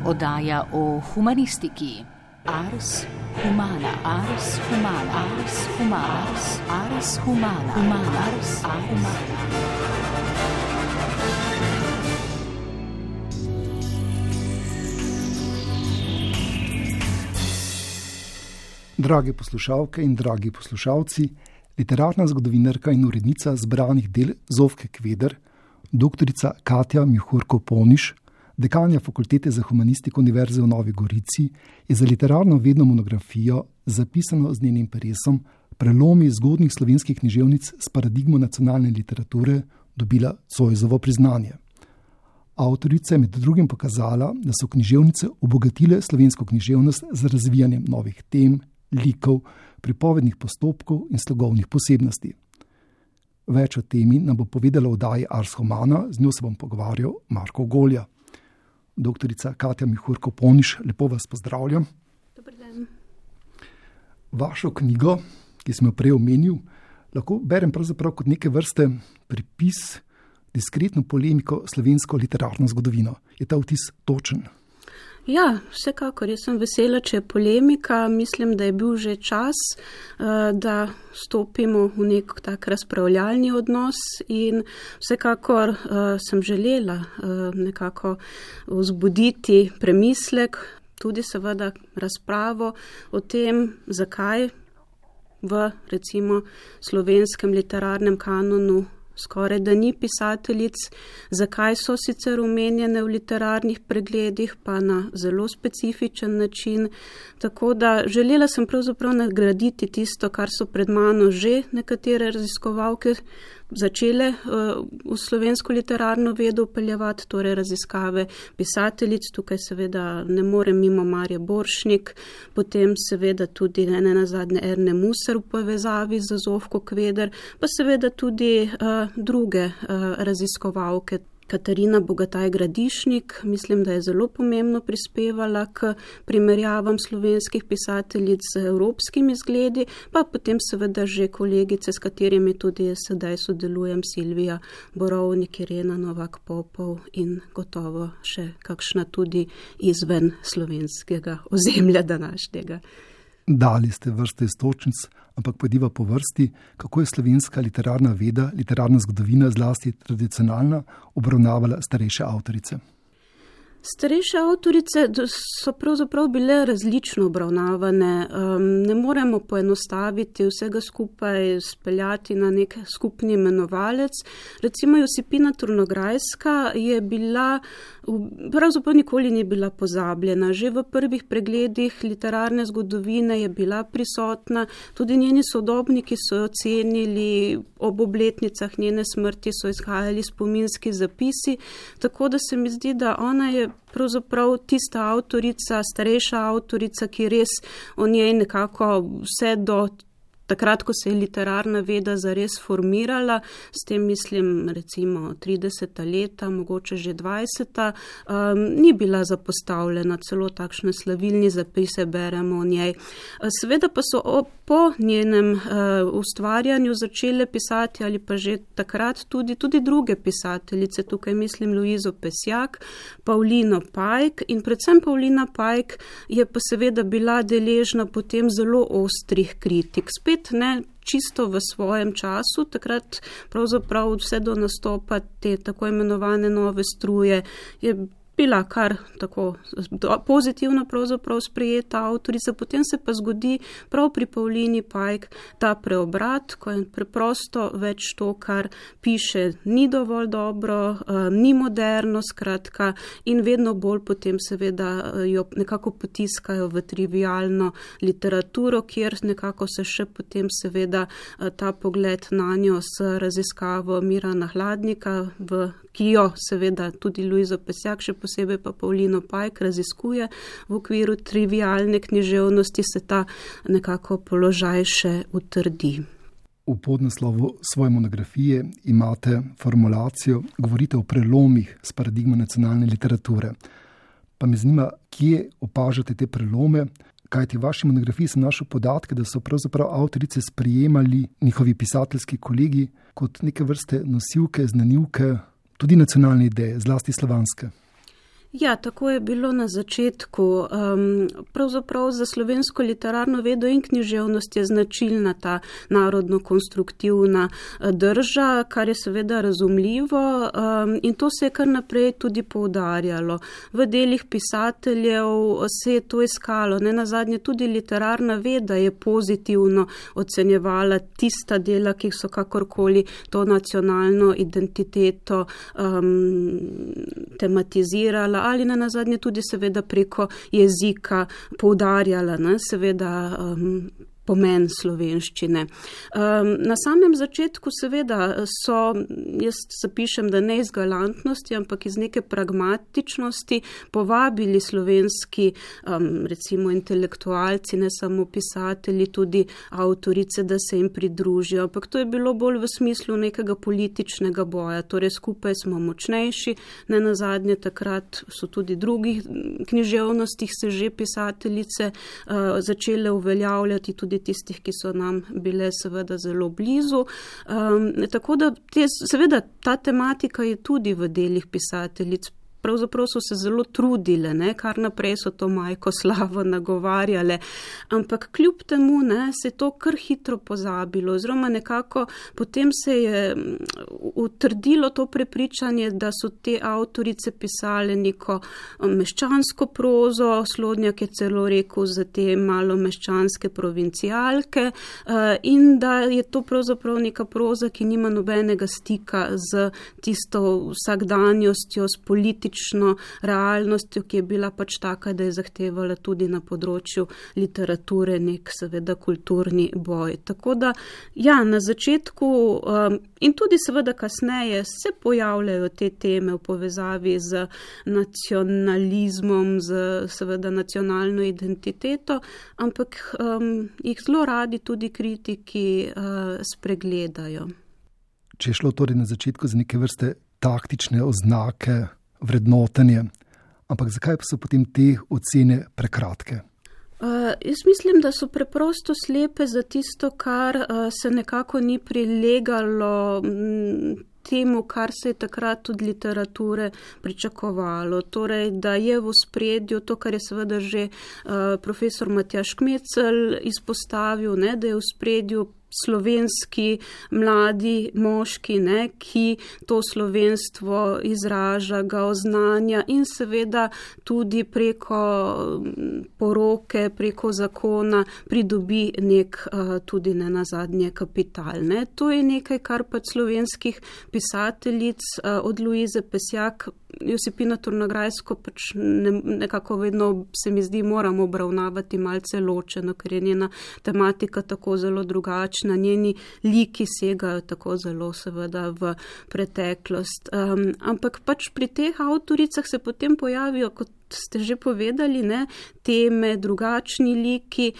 Oddaja o humanistiki. Ars humana, ars humana, ars humana, ars humana, ars humana. Drage poslušalke in dragi poslušalci, literarna zgodovinarka in urednica zbranih del Zofke Kveder, doktorica Katja Mihurko-Poniš, dekanja Fakultete za humanistiko Univerze v Novi Gorici, je za literarno vedno monografijo, zapisano z njenim peresom, Prelomi zgodnjih slovenskih književnic s paradigmo nacionalne literature, dobila Zoisovo priznanje. Avtorica je med drugim pokazala, da so književnice obogatile slovensko književnost z razvijanjem novih tem, likov, pripovednih postopkov in slogovnih posebnosti. Več o temi nam bo povedala v oddaji Ars humana, z njo se bom pogovarjal Marko Golja. Doktorica Katja Mihurko-Poniš, lepo vas pozdravljam. Dober dan. Vašo knjigo, ki sem jo prej omenil, lahko berem pravzaprav kot neke vrste pripis, diskretno polemiko slovensko literarno zgodovino. Je ta vtis točen? Ja, vsekakor. Jaz sem vesela, če je polemika. Mislim, da je bil že čas, da stopimo v nek tak razpravljalni odnos in vsekakor sem želela nekako vzbuditi premislek, tudi seveda razpravo o tem, zakaj v recimo slovenskem literarnem kanonu skoraj da ni pisateljic, zakaj so sicer omenjene v literarnih pregledih, pa na zelo specifičen način. Tako da želela sem pravzaprav nagraditi tisto, kar so pred mano že nekatere raziskovalke začele v slovensko literarno vedo vpeljevati, torej raziskave pisateljic. Tukaj seveda ne morem mimo Marje Borštnik, potem seveda tudi nenazadnje Erne Musar v povezavi z Zofko Kveder, pa seveda tudi druge raziskovalke. Katarina Bogataj-Gradišnik, mislim, da je zelo pomembno prispevala k primerjavam slovenskih pisateljic z evropskimi zgledi, pa potem seveda že kolegice, s katerimi tudi sedaj sodelujem, Silvija Borovnik, Irena Novak-Popov in gotovo še kakšna tudi izven slovenskega ozemlja današnjega. Dali ste vrste iztočnic, ampak pojdiva po vrsti, kako je slovenska literarna veda, literarna zgodovina, zlasti tradicionalna, obravnavala starejše avtorice. Starejše avtorice so pravzaprav bile različno obravnavane. Ne moremo poenostaviti vsega skupaj, speljati na nek skupni imenovalec. Recimo Josipina Turnograjska je bila, pravzaprav nikoli ni bila pozabljena. Že v prvih pregledih literarne zgodovine je bila prisotna, tudi njeni sodobniki so jo cenili, ob obletnicah njene smrti so izhajali spominski zapisi, tako da se mi zdi, da ona je pravzaprav tista avtorica, starejša avtorica, ki res o njej nekako vse do takrat, ko se je literarna veda zares formirala, s tem mislim recimo 30. leta, mogoče že 20. Ni bila zapostavljena, celo takšne slavilni zapise beremo o njej. Seveda pa so po njenem ustvarjanju začele pisati ali pa že takrat tudi druge pisateljice, tukaj mislim Luizo Pesjak, Pavlino Pajk in predvsem Pavlina Pajk je pa seveda bila deležna potem zelo ostrih kritik. Spet ne čisto v svojem času, takrat pravzaprav vse do nastopa te tako imenovane nove struje je bila kar tako pozitivno pravzaprav sprejeta avtorica, potem se pa zgodi prav pri Pavlini Pajk ta preobrat, ko je preprosto več to, kar piše, ni dovolj dobro, ni moderno, skratka, in vedno bolj potem seveda jo nekako potiskajo v trivialno literaturo, kjer nekako se še potem seveda ta pogled na njo s raziskavo Mirana Hladnika, ki jo seveda tudi Luizo Pesjak, še posebej pa Pavlino Pajk raziskuje v okviru trivialne književnosti, se ta nekako položaj še utrdi. V podnaslovu svoje monografije imate formulacijo, govorite o prelomih s paradigmo nacionalne literature. Pa me zanima, kje opažate te prelome, kajti v vaši monografiji sem našel podatke, da so pravzaprav avtorice sprejemali njihovi pisateljski kolegi kot neke vrste nosilke, znanilke, tudi nacionalne ideje, zlasti slovanske. Ja, tako je bilo na začetku. Pravzaprav za slovensko literarno vedo in književnost je značilna ta narodno-konstruktivna drža, kar je seveda razumljivo in to se je kar naprej tudi poudarjalo. V delih pisateljev se je to iskalo. Nenazadnje tudi literarna veda je pozitivno ocenjevala tista dela, ki so kakorkoli to nacionalno identiteto tematizirala ali nenazadnje tudi seveda preko jezika poudarjala, seveda pomen slovenščine. Na samem začetku seveda so, jaz zapišem, da ne iz galantnosti, ampak iz neke pragmatičnosti povabili slovenski, recimo intelektualci, ne samo pisatelji, tudi avtorice, da se jim pridružijo. Ampak to je bilo bolj v smislu nekega političnega boja, torej skupaj smo močnejši, nenazadnje takrat so tudi drugih književnostih se že pisateljice začele uveljavljati, tudi tistih, ki so nam bile seveda zelo blizu. Tako da seveda ta tematika je tudi v delih pisateljic. Pravzaprav so se zelo trudile, kar naprej so to Majko Slavo nagovarjale, ampak kljub temu se je to kar hitro pozabilo, oziroma nekako potem se je utrdilo to prepričanje, da so te avtorice pisale neko meščansko prozo, Slodnjak je celo rekel za te malo meščanske provincialke in da je to pravzaprav neka proza, ki nima nobenega stika z tisto vsakdanjostjo, s politično realnostjo, ki je bila pač taka, da je zahtevala tudi na področju literature nek seveda kulturni boj. Tako da, ja, na začetku in tudi seveda kasneje se pojavljajo te teme v povezavi z nacionalizmom, z seveda nacionalno identiteto, ampak jih zelo radi tudi kritiki spregledajo. Če je šlo torej na začetku za neke vrste taktične oznake, vrednotenje, ampak zakaj pa so potem te ocene prekratke? Jaz mislim, da so preprosto slepe za tisto, kar se nekako ni prilegalo temu, kar se je takrat od literature pričakovalo. Torej, da je v ospredju to, kar je seveda že profesor Matjaž Kmecel izpostavil, da je v ospredju slovenski mladi moški, ki to slovenstvo izraža, ga oznanja in seveda tudi preko poroke, preko zakona pridobi nek tudi nenazadnje kapital. To je nekaj, kar pač slovenskih pisateljic od Luize Pesjak, Josipina Turnograjsko pač nekako vedno se mi zdi moramo obravnavati malce ločeno, ker je njena tematika tako zelo drugačna, njeni liki segajo tako zelo seveda v preteklost. Ampak pač pri teh avtoricah se potem pojavijo, kot ste že povedali, teme, drugačni liki,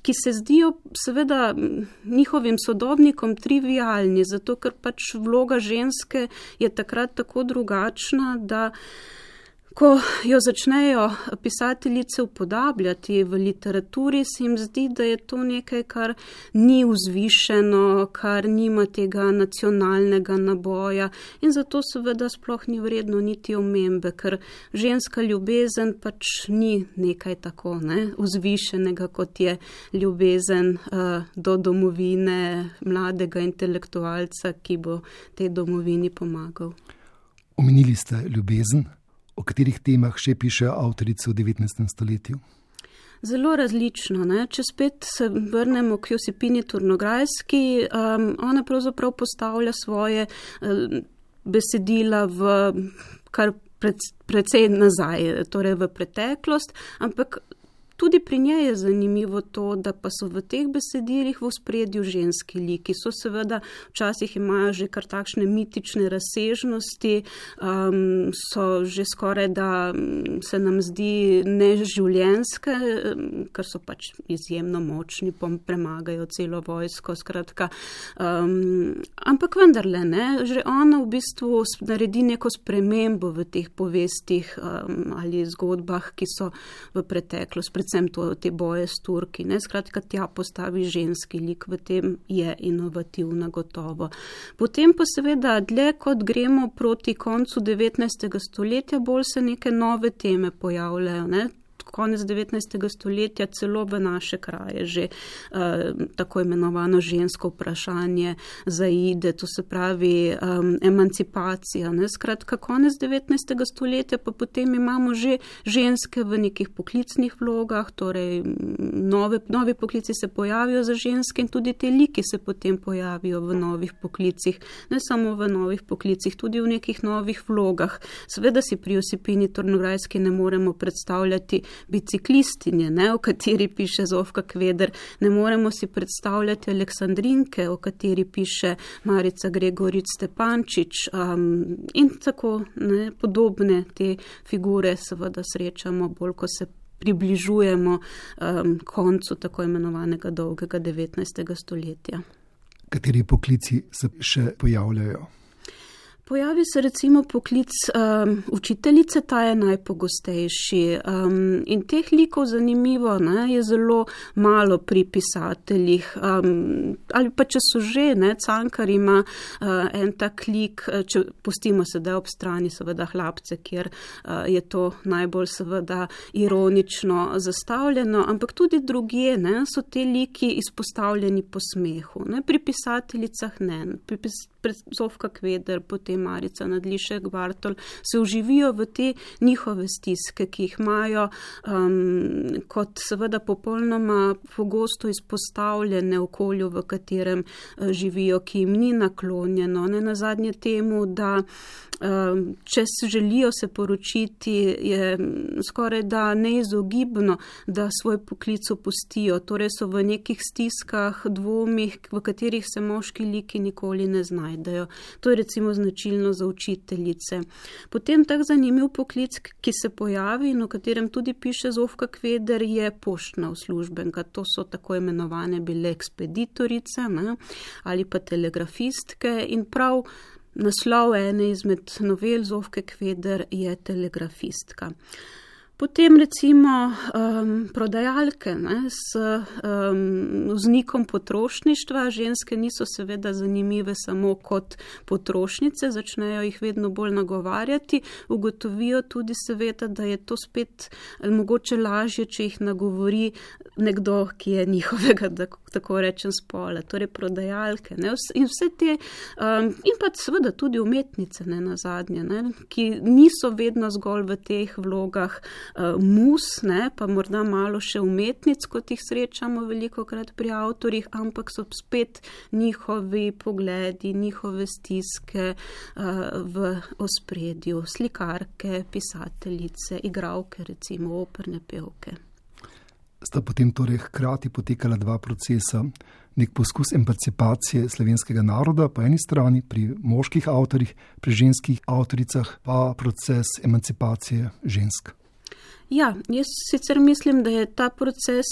ki se zdijo seveda njihovim sodobnikom trivialni, zato ker pač vloga ženske je takrat tako drugačna, da ko jo začnejo pisateljice upodabljati v literaturi, se jim zdi, da je to nekaj, kar ni vzvišeno, kar nima tega nacionalnega naboja in zato seveda sploh ni vredno niti omembe, ker ženska ljubezen pač ni nekaj tako vzvišenega, kot je ljubezen do domovine mladega intelektualca, ki bo tej domovini pomagal. Omenili ste ljubezen. O katerih temah še piše avtorice v 19. stoletju? Zelo različno. Če spet se vrnemo k Josipini Turnograjski, ona pravzaprav postavlja svoje besedila v kar precej nazaj, torej v preteklost, ampak tudi pri njej je zanimivo to, da pa so v teh besedilih v ospredju ženski liki. So seveda, včasih imajo že kar takšne mitične razsežnosti, so že skoraj, da se nam zdi neživljenjske, ker so pač izjemno močni, premagajo celo vojsko, skratka. Ampak vendarle, že ona v bistvu naredi neko spremembo v teh povestih ali zgodbah, ki so v preteklost. predvsem te boje s Turki, ne, skratka tja postavi ženski lik, v tem je inovativna gotovo. Potem pa seveda dlje, kot gremo proti koncu 19. stoletja, bolj se neke nove teme pojavljajo, ne. Konec 19. stoletja celo v naše kraje že tako imenovano žensko vprašanje zaide, to se pravi emancipacija. Ne? Skratka, konec 19. stoletja pa potem imamo že ženske v nekih poklicnih vlogah, torej novi poklici se pojavijo za ženske in tudi te liki se potem pojavijo v novih poklicih, ne samo v novih poklicih, tudi v nekih novih vlogah. Seveda si pri Josipini Tornograjski ne moremo predstavljati biciklistinje, ne, o kateri piše Zofka Kveder, ne moremo si predstavljati Aleksandrinke, o kateri piše Marica Gregorič Stepančič in tako ne, podobne te figure seveda srečamo bolj, ko se približujemo koncu tako imenovanega dolgega 19. stoletja. Kateri poklici se še pojavljajo? Pojavi se recimo poklic učiteljice, ta je najpogostejši in teh likov zanimivo, ne, je zelo malo pri pisateljih ali pa če so že, ne, Cankar ima en tak lik, če pustimo sedaj ob strani seveda Hlapce, kjer je to najbolj seveda ironično zastavljeno, ampak tudi drugje, ne, so te liki izpostavljeni po smehu, ne, pri pisateljicah ne, Zofka Kveder, potem Marica Nadlišek, Bartol, se uživijo v te njihove stiske, ki jih imajo kot seveda popolnoma pogosto izpostavljene okolju, v katerem živijo, ki jim ni naklonjeno. Ne nazadnje temu, da če se želijo se poročiti, je skoraj da neizogibno, da svoj poklic opustijo, torej so v nekih stiskah, dvomih, v katerih se moški liki nikoli ne znajdejo. To je recimo značilno za učiteljice. Potem tak zanimiv poklic, ki se pojavi in o katerem tudi piše Zofka Kveder, je poštna uslužbenka. To so tako imenovane bile ekspeditorice, ne, ali pa telegrafistke in prav naslov ene izmed novel Zofke Kveder je telegrafistka. Potem recimo prodajalke, ne, s vznikom potrošništva. Ženske niso seveda zanimive samo kot potrošnice, začnejo jih vedno bolj nagovarjati, ugotovijo tudi seveda, da je to spet mogoče lažje, če jih nagovori nekdo, ki je njihovega, tako rečem, spola, torej prodajalke. Ne, in vse te, in pa seveda tudi umetnice, ne nazadnje, ne, ki niso vedno zgolj v teh vlogah mus, ne, pa morda malo še umetnic, kot jih srečamo velikokrat pri avtorjih, ampak so spet njihovi pogledi, njihove stiske v ospredju. Slikarke, pisateljice, igralke, recimo operne pevke. Sta potem torej hkrati potekala dva procesa, nek poskus emancipacije slovenskega naroda po eni strani pri moških avtorjih, pri ženskih avtoricah pa proces emancipacije žensk. Ja, jaz sicer mislim, da je ta proces,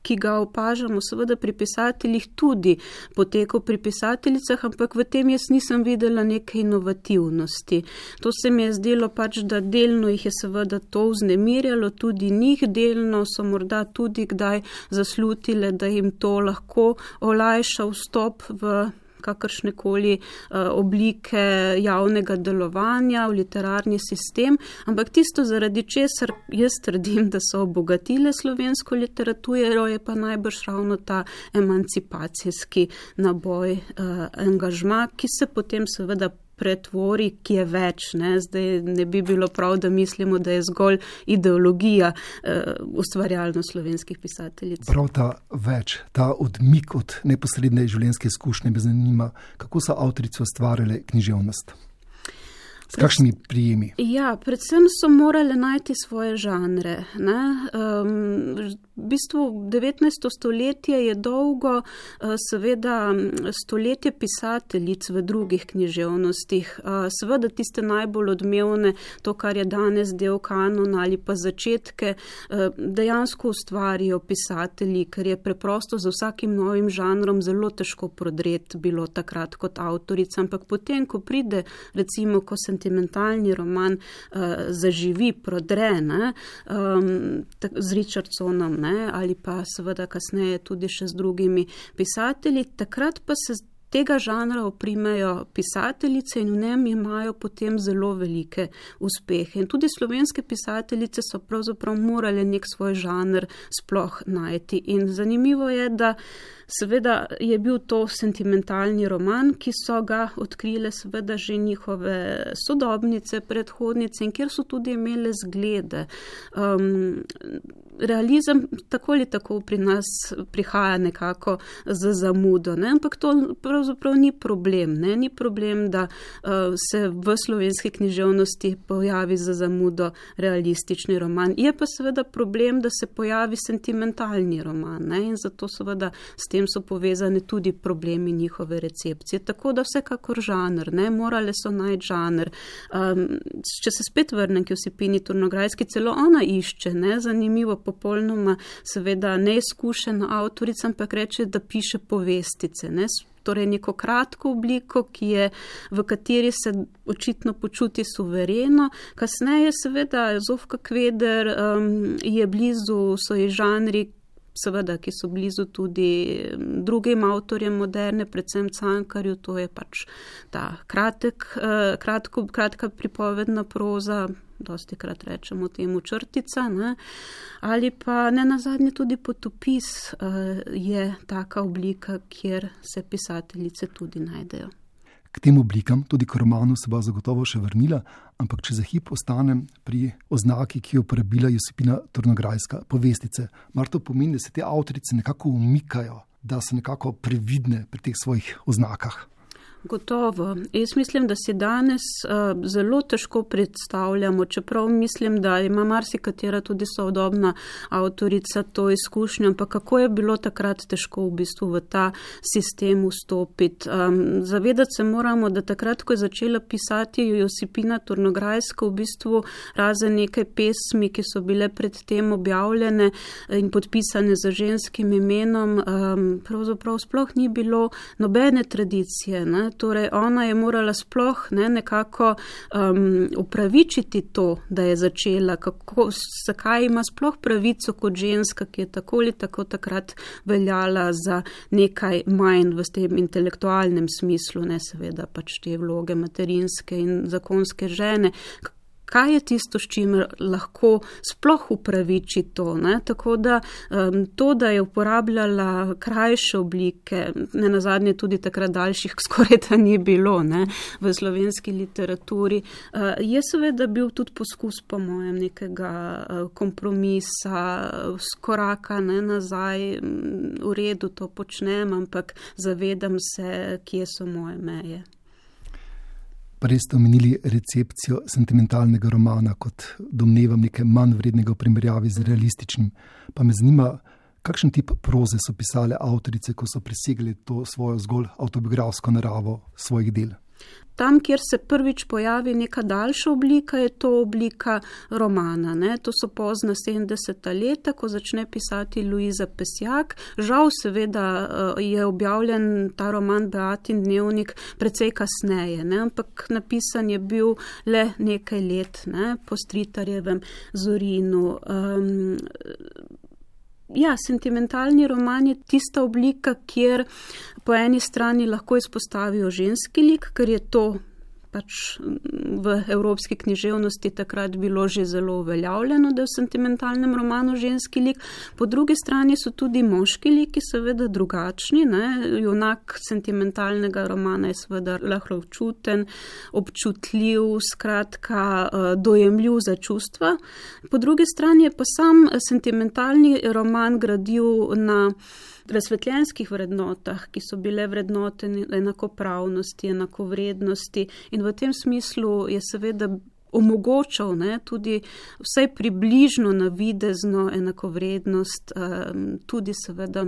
ki ga opažamo seveda pri pisateljih, tudi potekal pri pisateljicah, ampak v tem jaz nisem videla neke inovativnosti. To se mi je zdelo pač, da delno jih je seveda to vznemirjalo, tudi njih, delno so morda tudi kdaj zaslutile, da jim to lahko olajša vstop v kakršnekoli oblike javnega delovanja v literarni sistem, ampak tisto, zaradi česar jaz trdim, da so obogatile slovensko literaturo, je pa najbrž ravno ta emancipacijski naboj, angažma, ki se potem seveda pretvori, ki je več. Ne? Zdaj ne bi bilo prav, da mislimo, da je zgolj ideologija ustvarjalnost slovenskih pisateljic. Prav ta več, ta odmik od neposredne življenjske izkušnje me zanima, kako so avtorice ustvarjale književnost. S kakšnimi prijemi? Ja, predvsem so morale najti svoje žanre. Ne? v bistvu 19. stoletje je dolgo, seveda stoletje pisateljic v drugih književnostih. Seveda tiste najbolj odmevne, to, kar je danes del kanona ali pa začetke, dejansko ustvarijo pisatelji, ker je preprosto za vsakim novim žanrom zelo težko prodreti bilo takrat kot avtorica, ampak potem, ko pride, recimo, ko sentimentalni roman zaživi, prodre, ne, z Richardsonom, ne, ali pa seveda kasneje tudi še z drugimi pisatelji, takrat pa se tega žanra oprimejo pisateljice in v njem imajo potem zelo velike uspehe. In tudi slovenske pisateljice so pravzaprav morale nek svoj žanr sploh najti. In zanimivo je, da seveda je bil to sentimentalni roman, ki so ga odkrile seveda že njihove sodobnice, predhodnice in kjer so tudi imele zglede. Realizem tako ali tako pri nas prihaja nekako z zamudo, ne? Ampak to pravzaprav ni problem. Ne? Ni problem, da se v slovenski književnosti pojavi z zamudo realistični roman. Je pa seveda problem, da se pojavi sentimentalni roman, ne? In zato seveda s tem so povezane tudi problemi njihove recepcije. Tako da vsekakor žanr, ne? Morale so najti žanr. Če se spet vrnem k Josipini Turnograjski, celo ona išče, ne? Zanimivo, popolnoma seveda neizkušena avtorica, ampak reče, da piše povestice, ne? Torej neko kratko obliko, v kateri se očitno počuti suvereno. Kasneje seveda Zofka Kveder je blizu, so ji žanri, seveda, ki so blizu tudi drugim avtorjem moderne, predvsem Cankarju, to je pač ta kratka pripovedna proza, dostikrat rečemo temu črtica, ne? Ali pa nenazadnje tudi potopis je taka oblika, kjer se pisateljice tudi najdejo. K tem oblikam, tudi k romanu se bo zagotovo še vrnila, ampak če za hip ostanem pri oznaki, ki jo uporabila Josipina Turnograjska, povestice. Mar to pomeni, da se te avtorice nekako umikajo, da so nekako previdne pri teh svojih oznakah? Gotovo. Jaz mislim, da si danes zelo težko predstavljamo, čeprav mislim, da ima marsikatera tudi sodobna avtorica to izkušnjo, ampak kako je bilo takrat težko v bistvu v ta sistem vstopiti. Zavedati se moramo, da takrat, ko je začela pisati Josipina Turnograjska, v bistvu razen nekaj pesmi, ki so bile predtem objavljene in podpisane z ženskim imenom, pravzaprav sploh ni bilo nobene tradicije, ne? Torej, ona je morala sploh nekako upravičiti to, da je začela, zakaj ima sploh pravico kot ženska, ki je tako ali tako takrat veljala za nekaj manj v tem intelektualnem smislu, ne seveda pač te vloge materinske in zakonske žene. Kaj je tisto, s čimer lahko sploh upraviči to? Ne? Tako da to, da je uporabljala krajše oblike, nenazadnje tudi takrat daljših skoraj da ni bilo, ne? V slovenski literaturi, je seveda bil tudi poskus po mojem nekega kompromisa, skoraka nazaj, v redu to počnem, ampak zavedam se, kje so moje meje. Prej ste omenili recepcijo sentimentalnega romana kot domnevam nekaj manj vrednega v primerjavi z realističnim. Pa me zanima, kakšen tip proze so pisale avtorice, ko so presegli to svojo zgolj avtobiografsko naravo svojih del? Tam, kjer se prvič pojavi neka daljša oblika, je to oblika romana. Ne? To so pozna 70. leta, ko začne pisati Luiza Pesjak. Žal seveda je objavljen ta roman Beatin dnevnik precej kasneje, ne? Ampak napisan je bil le nekaj let, ne? Po Stritarjevem Zorinu. Ja, sentimentalni roman je tista oblika, kjer po eni strani lahko izpostavijo ženski lik, ker je to pač v evropski književnosti takrat bilo že zelo uveljavljeno, da je v sentimentalnem romanu ženski lik. Po drugi strani so tudi moški liki seveda drugačni, ne? Junak sentimentalnega romana je seveda lahko občutljiv, skratka dojemljiv za čustva. Po drugi strani je pa sam sentimentalni roman gradil na razsvetljenskih vrednotah, ki so bile vrednote enakopravnosti, enakovrednosti in v tem smislu je seveda omogočal, ne, tudi vsaj približno navidezno enakovrednost tudi seveda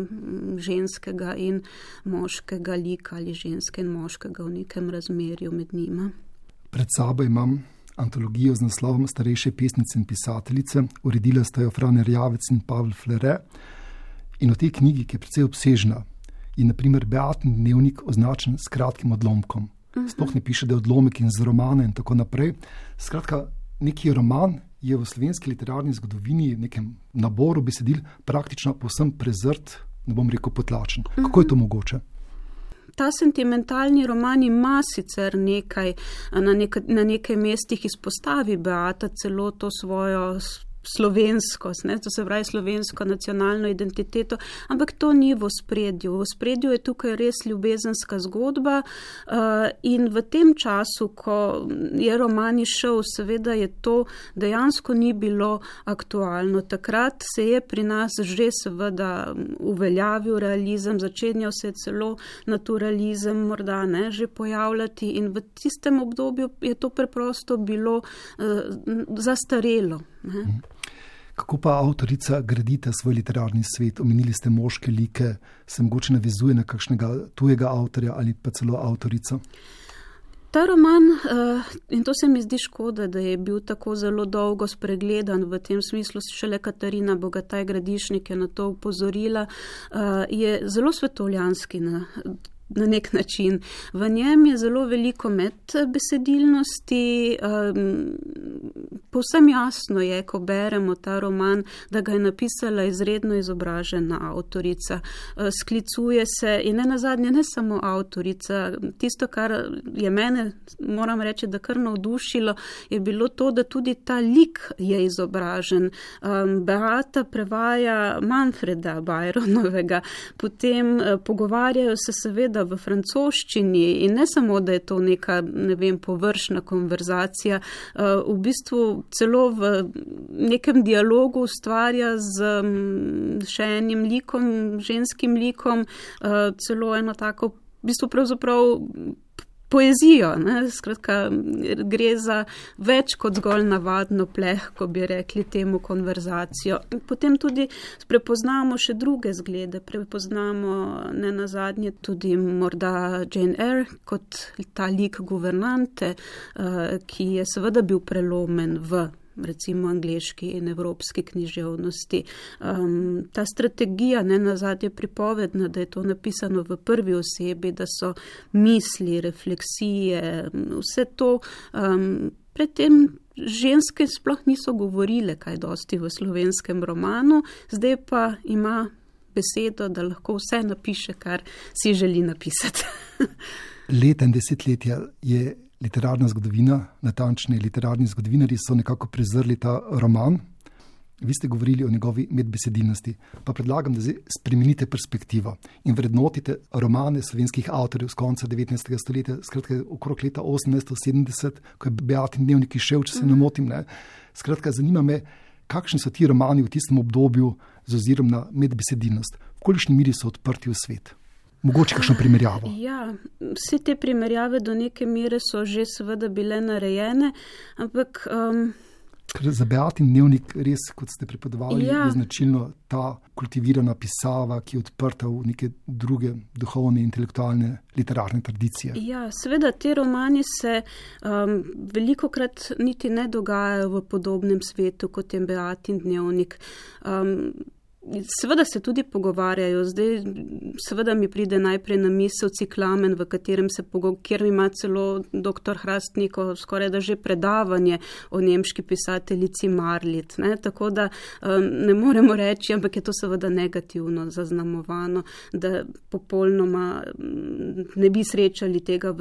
ženskega in moškega lika ali ženske in moškega v nekem razmerju med njima. Pred sabo imam antologijo z naslovom Starejše pesnice in pisateljice, uredila sta jo Fran Erjavec in Pavel Flere. In v tej knjigi, ki je precej obsežna, je na primer Beatin dnevnik označen s kratkim odlomkom. Sploh ne piše, da je odlomek in z romana in tako naprej. Skratka, neki roman je v slovenski literarni zgodovini, v nekem naboru besedil, praktično povsem prezrt, ne bom rekel potlačen. Kako je to mogoče? Ta sentimentalni roman ima sicer nekaj, na nekaj mestih izpostavi Beata celo to svojo slovenskost, to se pravi slovensko nacionalno identiteto, ampak to ni v ospredju. V ospredju je tukaj res ljubezenska zgodba in v tem času, ko je roman išel, seveda je to dejansko ni bilo aktualno. Takrat se je pri nas že seveda uveljavil realizem, začenjal se je celo naturalizem morda že pojavljati in v tistem obdobju je to preprosto bilo zastarelo. Kako pa avtorica gradite svoj literarni svet? Omenili ste moške like, se mogoče navezuje na kakšnega tujega avtorja ali pa celo avtorico? Ta roman, in to se mi zdi škoda, da je bil tako zelo dolgo spregledan, v tem smislu šele Katarina Bogataj Gradišnik je na to upozorila, je zelo svetovljanski na nek način. V njem je zelo veliko medbesedilnosti, povsem jasno je, ko beremo ta roman, da ga je napisala izredno izobražena avtorica. Sklicuje se in nenazadnje ne samo avtorica, tisto, kar je mene, moram reči, da kar navdušilo, je bilo to, da tudi ta lik je izobražen. Beata prevaja Manfreda Byronovega, potem pogovarjajo se seveda v francoščini in ne samo, da je to neka, površna konverzacija, v bistvu celo v nekem dialogu ustvarja z še enim likom, ženskim likom, celo eno tako, v bistvu pravzaprav poezijo, Skratka, gre za več kot zgolj navadno plehko, bi rekli temu, konverzacijo. Potem tudi prepoznamo še druge zglede, prepoznamo nenazadnje tudi morda Jane Eyre kot ta lik guvernante, ki je seveda bil prelomen v recimo angleški in evropski književnosti. Ta strategija, nenazadnje pripovedna, da je to napisano v prvi osebi, da so misli, refleksije, vse to, predtem ženske sploh niso govorile kaj dosti v slovenskem romanu, zdaj pa ima besedo, da lahko vse napiše, kar si želi napisati. Leta in desetletja je literarna zgodovina, natančne literarni zgodovinarji so nekako prezrli ta roman. Vi ste govorili o njegovi medbesedilnosti, pa predlagam, da zdaj spremenite perspektivo in vrednotite romane slovenskih avtorjev z konca 19. stoletja, skratka okrog leta 1870, ko je Beatin dnevnik izšel, če se ne motim. Skratka, zanima me, kakšni so ti romani v tistem obdobju z ozirom na medbesedilnost, v kolikšni meri so odprti v svet. Mogoče kakšno primerjavo? Ja, vse te primerjave do neke mere so že seveda bile narejene, ampak... Ker za Beatin dnevnik res, kot ste prepovedovali, je značilno ta kultivirana pisava, ki je odprta v neke druge duhovne, intelektualne, literarne tradicije. Ja, seveda te romani se velikokrat niti ne dogajajo v podobnem svetu, kot je Beatin dnevnik. Seveda se tudi pogovarjajo, zdaj seveda mi pride najprej na misel Ciklamen, v katerem kjer ima celo dr. Hrastnikov skoraj da že predavanje o nemški pisateljici Marlit, tako da ne moremo reči, ampak je to seveda negativno zaznamovano, da popolnoma ne bi srečali tega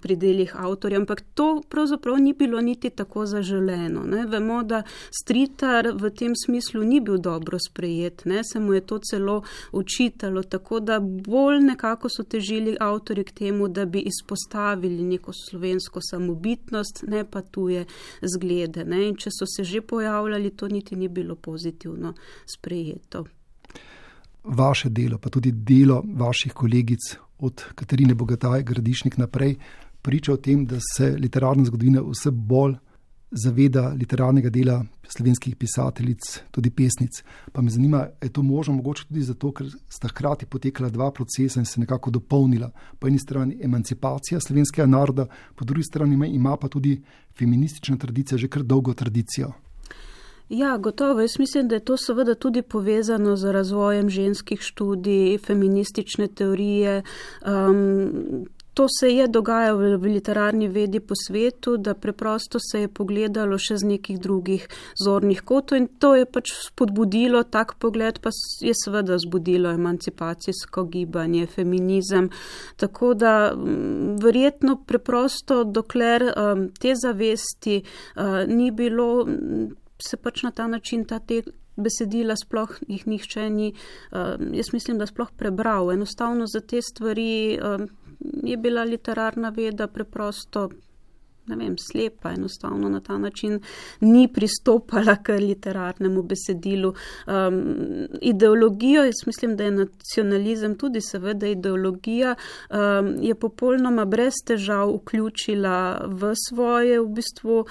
pri delih avtorja, ampak to pravzaprav ni bilo niti tako zaželeno. Vemo, da Stritar v tem smislu ni bil dobro sprejet, se mu je to celo očitalo, tako da bolj nekako so težili avtorji k temu, da bi izpostavili neko slovensko samobitnost, ne pa tuje zglede. In če so se že pojavljali, to niti ni bilo pozitivno sprejeto. Vaše delo, pa tudi delo vaših kolegic od Katarine Bogataj Gradišnik naprej, priča o tem, da se literarna zgodovina vse bolj zaveda literarnega dela slovenskih pisateljic, tudi pesnic. Pa me zanima, je to možno mogoče tudi zato, ker sta hkrati potekala dva procesa in se nekako dopolnila. Po eni strani emancipacija slovenskega naroda, po drugi strani ima pa tudi feministična tradicija že kar dolgo tradicijo. Ja, gotovo. Jaz mislim, da je to seveda tudi povezano z razvojem ženskih študij, feministične teorije. To se je dogajalo v literarni vedi po svetu, da preprosto se je pogledalo še z nekih drugih zornih kotov in to je pač spodbudilo, tak pogled pa je seveda zbudilo emancipacijsko gibanje, feminizem. Tako da verjetno preprosto, dokler te zavesti ni bilo, se pač na ta način te besedila sploh jih nihče ni, jaz mislim, da sploh prebral. Enostavno za te stvari je bila literarna veda preprosto, slepa, enostavno na ta način ni pristopala k literarnemu besedilu. Ideologijo, jaz mislim, da je nacionalizem tudi seveda ideologija, je popolnoma brez težav vključila v svoje bistvo,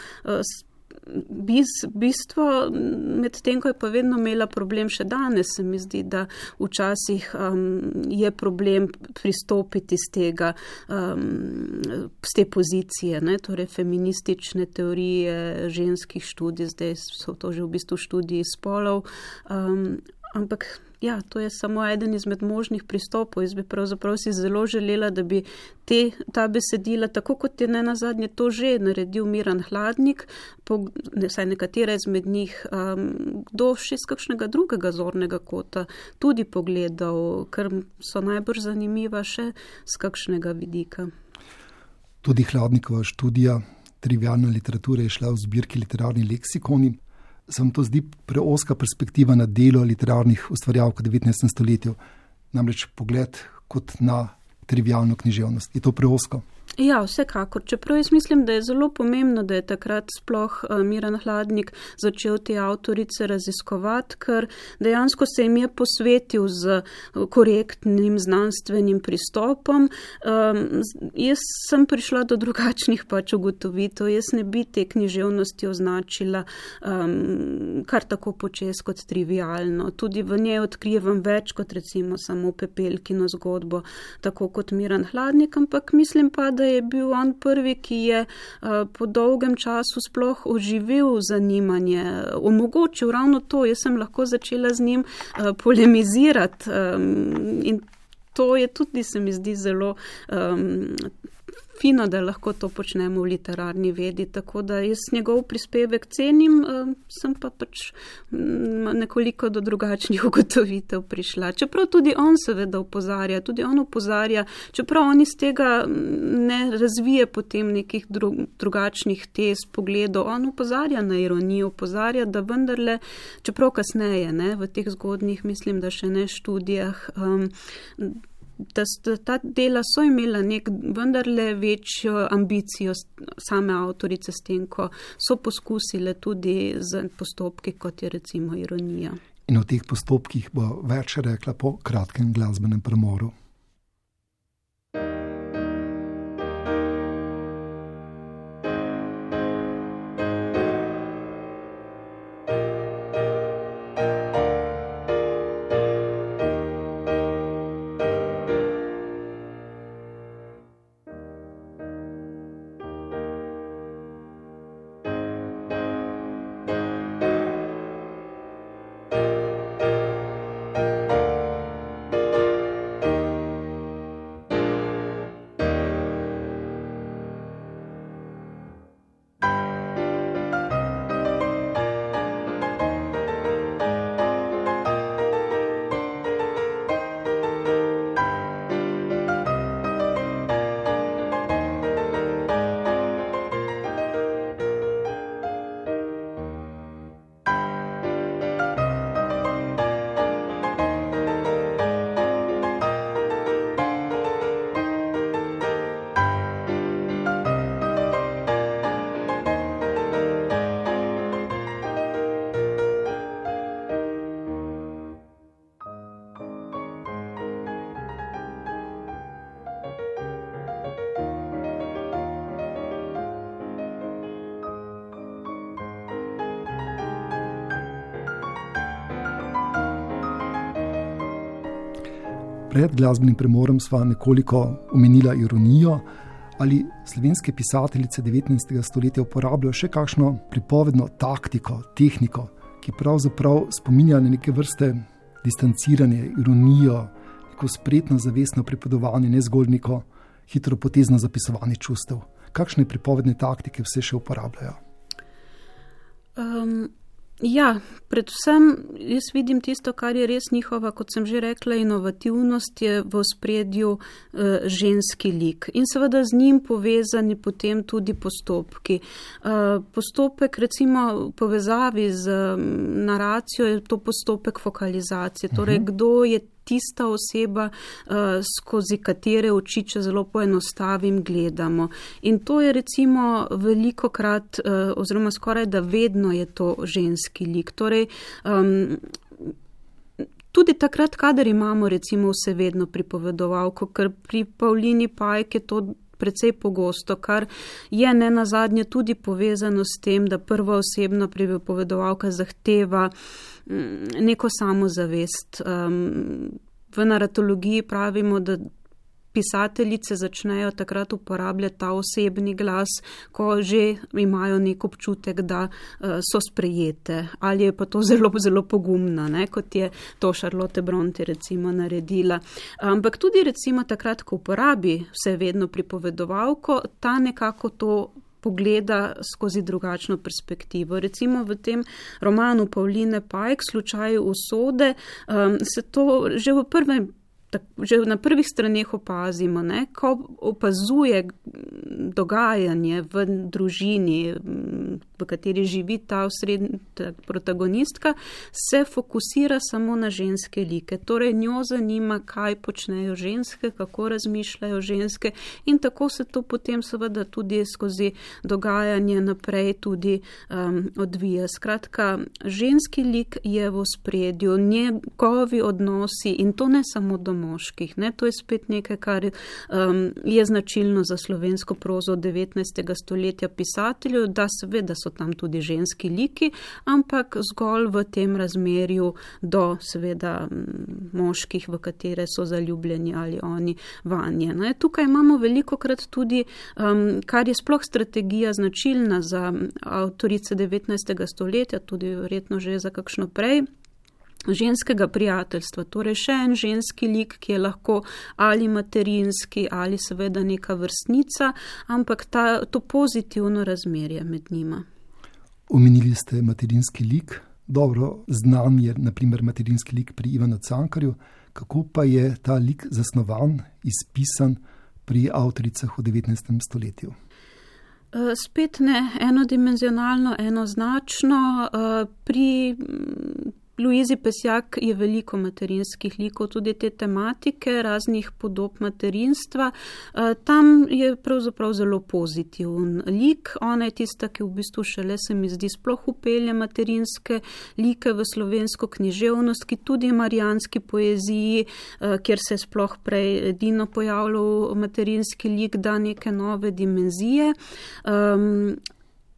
med tem, ko je pa vedno imela problem še danes, se mi zdi, da včasih je problem pristopiti z te pozicije, torej feministične teorije ženskih študij, zdaj so to že v bistvu študiji spolov, ampak ja, to je samo eden izmed možnih pristopov. Jaz bi pravzaprav si zelo želela, da bi ta besedila, tako kot je nenazadnje to že naredil Miran Hladnik, vsaj nekatera izmed njih, kdo še iz kakšnega drugega zornega kota tudi pogledal, ker so najbolj zanimiva še z kakšnega vidika. Tudi Hladnikova študija trivialne literature je šla v zbirki Literarni leksikoni. Se vam to zdi preoska perspektiva na delo literarnih ustvarjalk v 19. stoletju, namreč pogled kot na trivialno književnost? Je to preosko? Ja, vsekakor. Čeprav jaz mislim, da je zelo pomembno, da je takrat sploh Miran Hladnik začel te avtorice raziskovati, ker dejansko se jim je posvetil z korektnim znanstvenim pristopom. Jaz sem prišla do drugačnih ugotovitev. Jaz ne bi te književnosti označila kar tako počez kot trivialno. Tudi v njej odkrivam več kot recimo samo Pepelkino zgodbo, tako kot Miran Hladnik, ampak mislim pa, da je bil on prvi, ki je po dolgem času sploh oživil zanimanje, omogočil ravno to. Jaz sem lahko začela z njim polemizirati in to je tudi, se mi zdi, zelo fino, da lahko to počnemo v literarni vedi, tako da jaz njegov prispevek cenim, sem pa pač nekoliko do drugačnih ugotovitev prišla. Čeprav tudi on seveda opozarja, čeprav on iz tega ne razvije potem nekih drugačnih tez, pogledov, on opozarja na ironijo, opozarja, da vendarle, čeprav kasneje, v teh zgodnjih, mislim, da še ne študijah, da ta dela so imela vendarle večjo ambicijo same avtorice s tem, ko so poskusile tudi z postopki, kot je recimo ironija. In o teh postopkih bo več rekla po kratkem glasbenem premoru. Pred glasbenim premorom sva nekoliko omenila ironijo. Ali slovenske pisateljice 19. stoletja uporabljajo še kakšno pripovedno taktiko, tehniko, ki pravzaprav spominja na neke vrste distanciranje, ironijo, neko spretno, zavestno pripovedovanje, ne zgolj neko hitropotezno zapisovanje čustev? Kakšne pripovedne taktike vse še uporabljajo? Predvsem jaz vidim tisto, kar je res njihova, kot sem že rekla, inovativnost je v ospredju ženski lik in seveda z njim povezani potem tudi postopki. Postopek recimo v povezavi z naracijo je to postopek fokalizacije, torej kdo je tista oseba, skozi katere oči, če zelo poenostavim, gledamo. In to je recimo velikokrat, oziroma skoraj da vedno je to ženski lik. Torej, tudi takrat, kadar imamo recimo vsevedno pripovedovalko, ker pri Pavlini Pajk je to precej pogosto, kar je nenazadnje tudi povezano s tem, da prva osebna pripovedovalka zahteva neko samozavest. V naratologiji pravimo, da pisateljice začnejo takrat uporabljati ta osebni glas, ko že imajo nek občutek, da so sprejete. Ali je pa to zelo, zelo pogumna, ne? Kot je to Charlotte Brontë recimo naredila. Ampak tudi recimo takrat, ko uporabi vsevedno pripovedovalko, ta nekako to pogleda skozi drugačno perspektivo. Recimo v tem romanu Pavline Pajk, Slučaj usode, se to že na prvih straneh opazimo, ne? Ko opazuje dogajanje v družini, v kateri živi ta protagonistka, se fokusira samo na ženske like. Torej njo zanima, kaj počnejo ženske, kako razmišljajo ženske in tako se to potem seveda tudi skozi dogajanje naprej tudi odvija. Skratka, ženski lik je v ospredju, njegovi odnosi in to ne samo do moških. Ne? To je spet nekaj, kar je značilno za slovensko prozo 19. stoletja pisateljev, da seveda so tam tudi ženski liki, ampak zgolj v tem razmerju do seveda moških, v katere so zaljubljeni ali oni vanje. Ne? Tukaj imamo velikokrat tudi, kar je sploh strategija značilna za avtorice 19. stoletja, tudi verjetno že za kakšno prej, ženskega prijateljstva, torej še en ženski lik, ki je lahko ali materinski ali seveda neka vrstnica, ampak to pozitivno razmerje med njima. Omenili ste materinski lik, dobro znan je naprimer materinski lik pri Ivanu Cankarju, kako pa je ta lik zasnovan, izpisan pri avtoricah v 19. stoletju? Spet ne enodimenzionalno, enoznačno, pri Louisi Pesjak je veliko materinskih likov, tudi te tematike, raznih podob materinstva. Tam je pravzaprav zelo pozitiven lik. Ona je tista, ki v bistvu šele se mi zdi sploh upelje materinske like v slovensko književnost, ki tudi marijanski poeziji, kjer se je sploh prej edino pojavljal materinski lik, da neke nove dimenzije.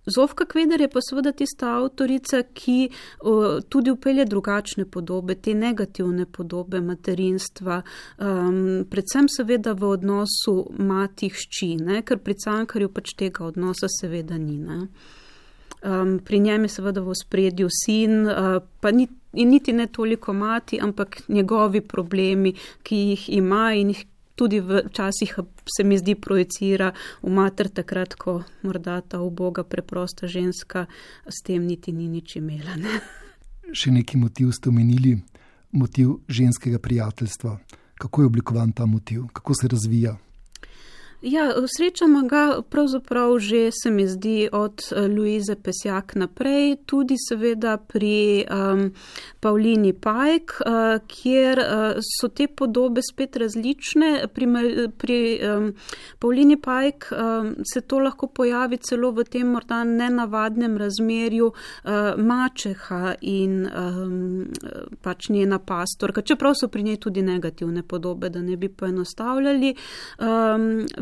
Zofka Kveder je pa seveda tista avtorica, ki tudi upelje drugačne podobe, te negativne podobe materinstva, predvsem seveda v odnosu mati-hči, ker pri Cankarju pač tega odnosa seveda ni. Ne? Pri njem je seveda v ospredju sin, pa niti ne toliko mati, ampak njegovi problemi, ki jih ima in jih tudi včasih se mi zdi projicira v mater takrat, ko morda ta uboga preprosta ženska s tem niti ni nič imela. Ne? Še neki motiv ste omenili, motiv ženskega prijateljstva. Kako je oblikovan ta motiv? Kako se razvija? Ja, srečamo ga pravzaprav že, se mi zdi, od Louise Pesjak naprej, tudi seveda pri Pavlini Pajk, kjer so te podobe spet različne. Pri Pavlini Pajk se to lahko pojavi celo v tem morda nenavadnem razmerju mačeha in pač njena pastorka, čeprav so pri njej tudi negativne podobe, da ne bi poenostavljali.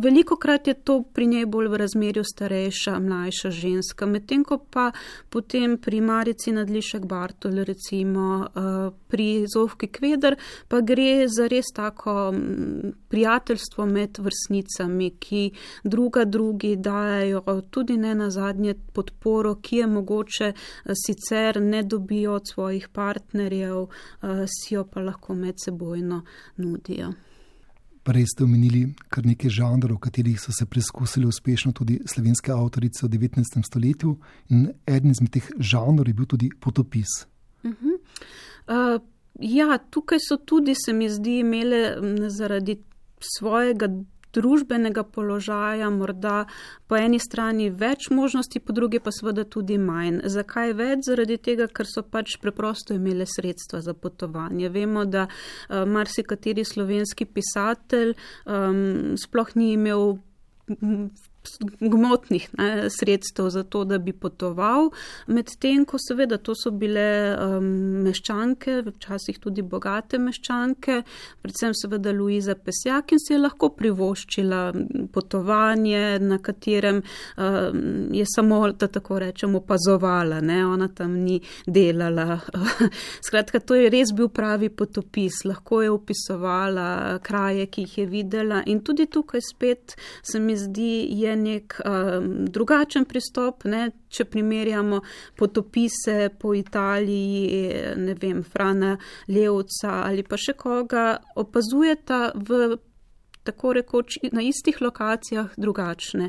velikokrat je to pri njej bolj v razmerju starejša, mlajša ženska, medtem ko pa potem pri Marici Nadlišek Bartol, recimo pri Zofki Kveder, pa gre za res tako prijateljstvo med vrstnicami, ki drugi dajajo tudi ne nazadnje podporo, ki je mogoče sicer ne dobijo od svojih partnerjev, si jo pa lahko medsebojno nudijo. Prej ste omenili kar nekaj žanrov, v katerih so se preskusili uspešno tudi slovenske avtorice v 19. stoletju in eden izmed teh žanrov je bil tudi potopis. Ja, tukaj so tudi, se mi zdi, imele zaradi svojega družbenega položaja morda po eni strani več možnosti, po drugi pa seveda tudi manj. Zakaj več? Zaradi tega, ker so pač preprosto imele sredstva za potovanje. Vemo, da marsikateri slovenski pisatelj sploh ni imel gmotnih sredstev za to, da bi potoval, medtem ko seveda to so bile meščanke, včasih tudi bogate meščanke, predvsem seveda Luiza Pesjak in si je lahko privoščila potovanje, na katerem je samo, da tako rečem, opazovala, ne? Ona tam ni delala. Skratka, to je res bil pravi potopis, lahko je opisovala kraje, ki jih je videla in tudi tukaj spet se mi zdi, je nek drugačen pristop, ne? Če primerjamo potopise po Italiji, ne vem, Frana Levca ali pa še koga, opazujeta v tako rekoč na istih lokacijah drugačne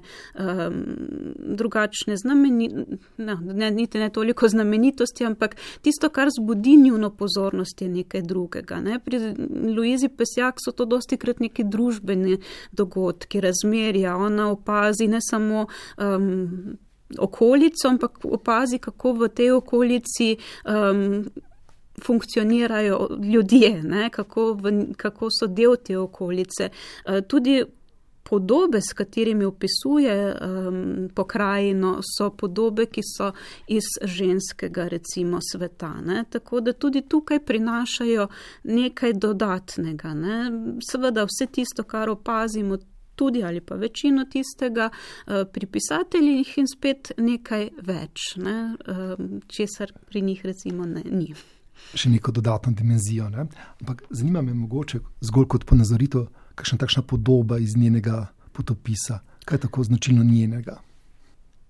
niti ne toliko znamenitosti, ampak tisto, kar zbudi njuno pozornost, je nekaj drugega. Ne? Pri Luizi Pesjak so to dostikrat neki družbeni dogodki, razmerja. Ona opazi ne samo okolico, ampak opazi, kako v tej okolici funkcionirajo ljudje, ne? Kako so del te okolice. Tudi podobe, s katerimi opisuje pokrajino, so podobe, ki so iz ženskega, recimo, sveta. Ne? Tako da tudi tukaj prinašajo nekaj dodatnega. Ne? Seveda vse tisto, kar opazimo, tudi ali pa večino tistega pri pisateljih in spet nekaj več, ne? Česar pri njih recimo ni. Še neko dodatno dimenzijo. Ne? Ampak zanima me mogoče zgolj kot ponazoritev, kakšna takšna podoba iz njenega potopisa, kaj je tako značilno njenega?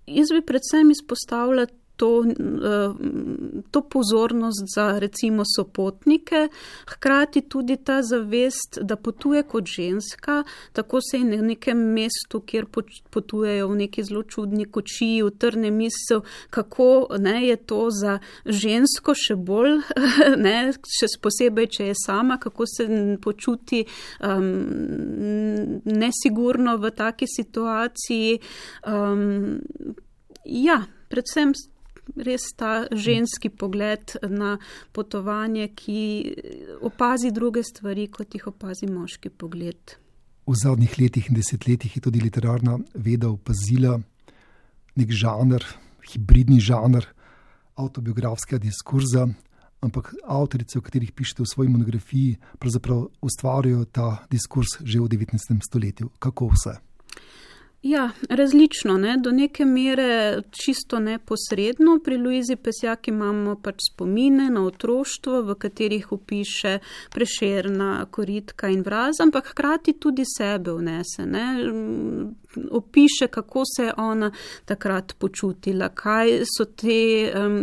Jaz bi predvsem izpostavila to pozornost za recimo sopotnike, hkrati tudi ta zavest, da potuje kot ženska, tako se je na nekem mestu, kjer potujejo v neki zelo čudni kočiji, utrne misel, kako je to za žensko še bolj, še posebej, če je sama, kako se počuti nesigurno v taki situaciji. Predvsem res ta ženski pogled na potovanje, ki opazi druge stvari, kot jih opazi moški pogled. V zadnjih letih in desetletjih je tudi literarna veda opazila nek žanr, hibridni žanr avtobiografskega diskurza, ampak avtorice, o katerih pišete v svoji monografiji, pravzaprav ustvarjajo ta diskurs že v 19. stoletju. Kako vse? Ja, različno, ne? Do neke mere čisto neposredno. Pri Luizi Pesjak imamo pač spomine na otroštvo, v katerih opiše Prešerna, Koritka in Vraz, ampak hkrati tudi sebe vnese. Ne? Opiše, kako se je ona takrat počutila, kaj so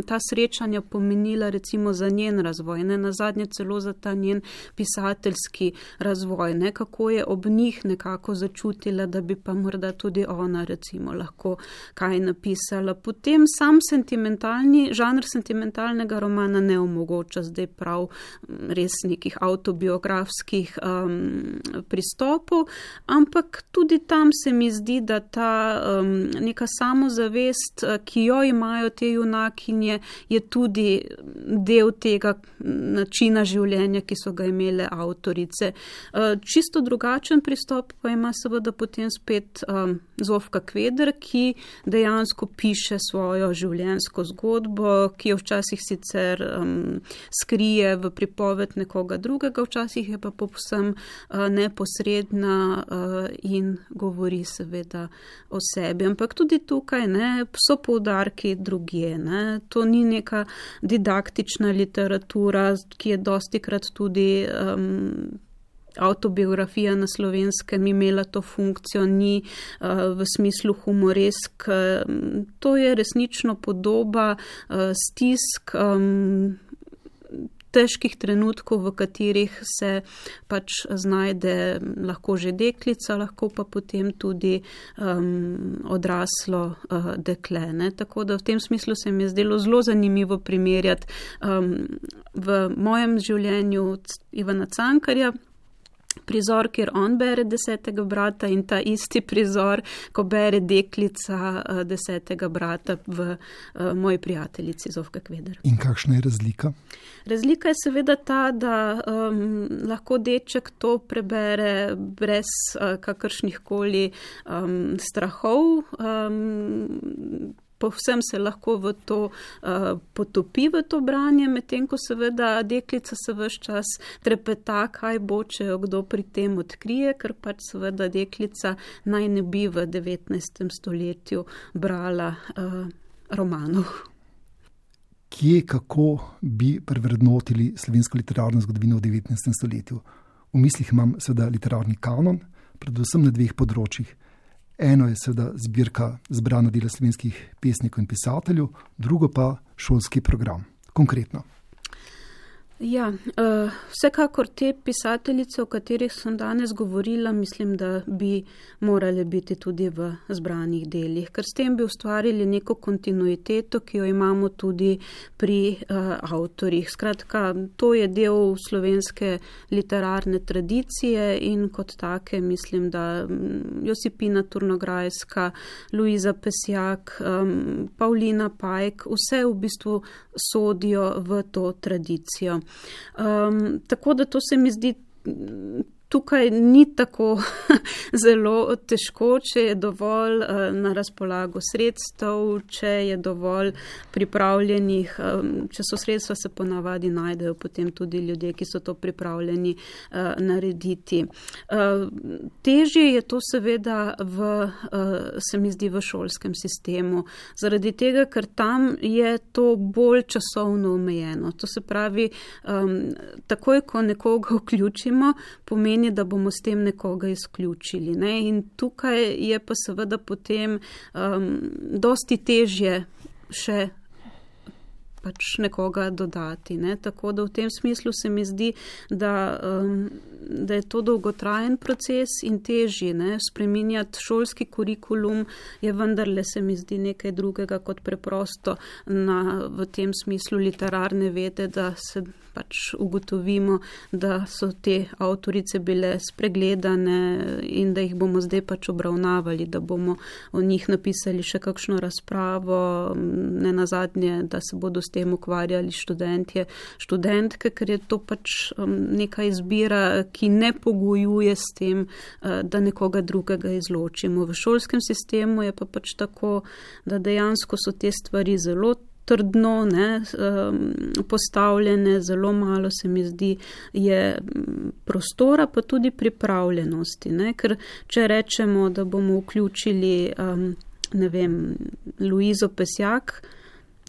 ta srečanja pomenila recimo za njen razvoj, ne? Nazadnje celo za ta njen pisateljski razvoj, ne? Kako je ob njih nekako začutila, da bi pa morda tudi ona recimo lahko kaj napisala. Potem sam žanr sentimentalnega romana ne omogoča zdaj prav res nekih avtobiografskih pristopov, ampak tudi tam se mi zdi, da ta neka samozavest, ki jo imajo te junakinje, je tudi del tega načina življenja, ki so ga imele avtorice. Čisto drugačen pristop pa ima seveda potem spet Zofka Kveder, ki dejansko piše svojo življenjsko zgodbo, ki jo včasih sicer skrije v pripoved nekoga drugega, včasih je pa povsem neposredna in govori seveda o sebi. Ampak tudi tukaj so poudarki drugje. To ni neka didaktična literatura, ki je dostikrat tudi avtobiografija na Slovenskem imela to funkcijo, ni v smislu humoresk. To je resnično podoba stisk, težkih trenutkov, v katerih se pač znajde lahko že deklica, lahko pa potem tudi odraslo dekle. Tako da v tem smislu se mi je zdelo zelo zanimivo primerjati v mojem življenju Ivana Cankarja, prizor, kjer on bere 10. brata in ta isti prizor, ko bere deklica 10. brata v moji prijateljici Zofka Kveder. In kakšna je razlika? Razlika je seveda ta, da lahko deček to prebere brez kakršnih koli strahov, povsem se lahko v to potopi v to branje, medtem ko seveda deklica se ves čas trepeta, kaj bo, če jo kdo pri tem odkrije, ker pač seveda deklica naj ne bi v 19. stoletju brala romanov. Kje, kako bi prevrednotili slovensko literarno zgodovino v 19. stoletju? V mislih imam seveda literarni kanon, predvsem na dveh področjih. Eno je seveda zbirka zbrana dela slovenskih pesnikov in pisateljev, drugo pa šolski program. Konkretno. Ja, vsekakor te pisateljice, o katerih sem danes govorila, mislim, da bi morale biti tudi v zbranih delih, ker s tem bi ustvarili neko kontinuiteto, ki jo imamo tudi pri avtorjih. Skratka, to je del slovenske literarne tradicije in kot take mislim, da Josipina Turnograjska, Luiza Pesjak, Pavlina Pajk, vse v bistvu sodijo v to tradicijo. Tako da to se mi zdi, tukaj ni tako zelo težko, če je dovolj na razpolago sredstev, če je dovolj pripravljenih, če so sredstva, se ponavadi najdejo potem tudi ljudje, ki so to pripravljeni narediti. Težje je to seveda se mi zdi v šolskem sistemu, zaradi tega, ker tam je to bolj časovno omejeno. To se pravi, takoj, ko nekoga vključimo, pomeni, da bomo s tem nekoga izključili. In tukaj je pa seveda potem dosti težje še pač nekoga dodati. Tako da v tem smislu se mi zdi, da je to dolgotrajen proces in težji. Spreminjati šolski kurikulum je vendarle, se mi zdi, nekaj drugega kot preprosto v tem smislu literarne vede, da se pač ugotovimo, da so te avtorice bile spregledane in da jih bomo zdaj pač obravnavali, da bomo o njih napisali še kakšno razpravo, ne nazadnje, da se bodo s tem ukvarjali študentke, ker je to pač neka izbira, ki ne pogojuje s tem, da nekoga drugega izločimo. V šolskem sistemu je pa pač tako, da dejansko so te stvari zelo trdno postavljene, zelo malo se mi zdi je prostora, pa tudi pripravljenosti. Ker če rečemo, da bomo vključili Luizo Pesjak,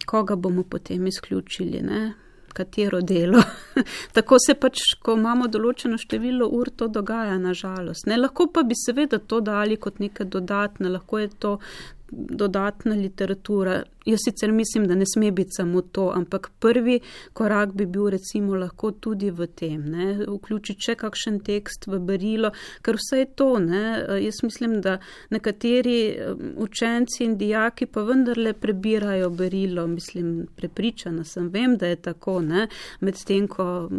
koga bomo potem izključili, katero delo. Tako se pač, ko imamo določeno število ur, to dogaja, na žalost. Lahko pa bi seveda to dali kot nekaj dodatne, lahko je to dodatna literatura. Jaz sicer mislim, da ne sme biti samo to, ampak prvi korak bi bil recimo lahko tudi v tem, ne, vključiti še kakšen tekst v berilo, ker vse je to, ne. Jaz mislim, da nekateri učenci in dijaki pa vendarle prebirajo berilo, mislim, prepričana sem, vem, da je tako, ne, medtem ko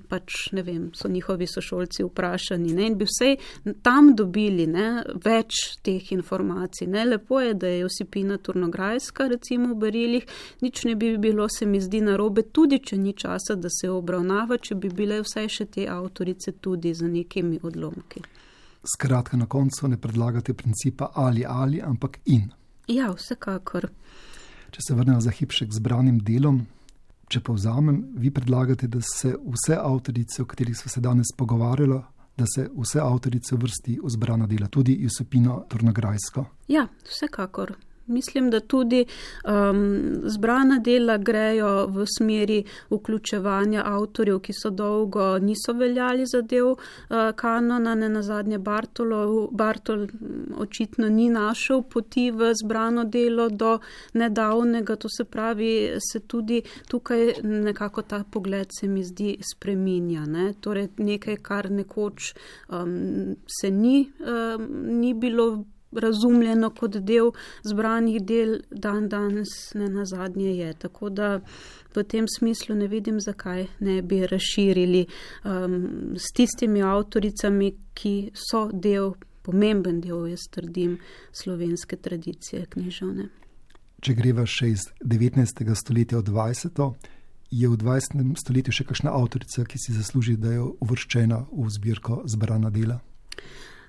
pač, ne vem, so njihovi sošolci vprašani, ne, in bi vsej tam dobili, ne, več teh informacij, ne. Lepo je, da je Josipina Turnograjska recimo v berilih, nič ne bi bilo, se mi zdi, narobe, tudi če ni časa, da se obravnava, če bi bile vsaj še te avtorice tudi za nekimi odlomki. Skratka, na koncu ne predlagate principa ali, ampak in. Ja, vsekakor. Če se vrnemo za hip še k zbranim delom, če povzamem, vi predlagate, da se vse avtorice, o katerih smo se danes pogovarjali, da se vse avtorice vrsti v zbrana dela, tudi Josipino Turnograjsko. Ja, vsekakor. Mislim, da tudi zbrana dela grejo v smeri vključevanja avtorjev, ki so dolgo niso veljali za del kanona, ne nazadnje Bartol očitno ni našel poti v zbrano delo do nedavnega, to se pravi, se tudi tukaj nekako ta pogled se mi zdi spreminja, ne? Torej nekaj, kar nekoč se ni bilo razumljeno kot del zbranih del, danes ne nazadnje je. Tako da v tem smislu ne vidim, zakaj ne bi razširili s tistimi avtoricami, ki so pomemben del, jaz trdim, slovenske tradicije književne. Če greva še iz 19. stoletja v 20. je v 20. stoletju še kakšna avtorica, ki si zasluži, da je uvrščena v zbirko zbrana dela?